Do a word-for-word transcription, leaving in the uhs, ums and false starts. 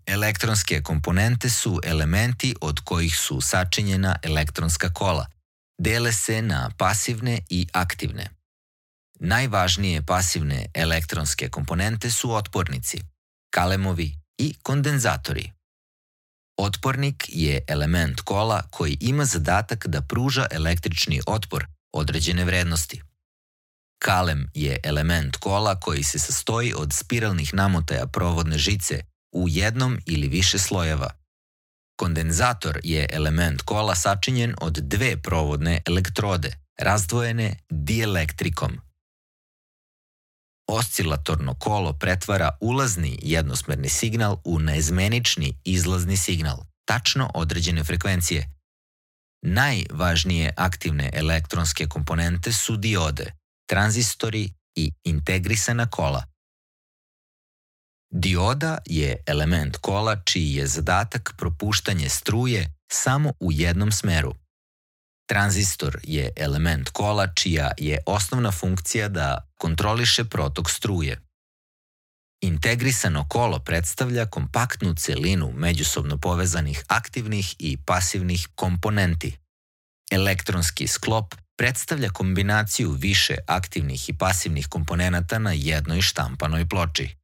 Elektronske komponente su elementi od kojih su sačinjena elektronska kola. Dele se na pasivne i aktivne. Najvažnije pasivne elektronske komponente su otpornici, kalemovi i kondenzatori. Otpornik je element kola koji ima zadatak da pruža električni otpor određene vrednosti. Kalem je element kola koji se sastoji od spiralnih namotaja provodne žice u jednom ili više slojeva. Kondenzator je element kola sačinjen od dve provodne elektrode, razdvojene dielektrikom. Oscilatorno kolo pretvara ulazni jednosmerni signal u naizmenični izlazni signal, tačno određene frekvencije. Najvažnije aktivne elektronske komponente su diode, tranzistori i integrisana kola. Dioda je element kola čiji je zadatak propuštanje struje samo u jednom smeru. Tranzistor je element kola čija je osnovna funkcija da kontroliše protok struje. Integrisano kolo predstavlja kompaktnu celinu međusobno povezanih aktivnih i pasivnih komponenti. Elektronski sklop predstavlja kombinaciju više aktivnih i pasivnih komponenata na jednoj štampanoj ploči.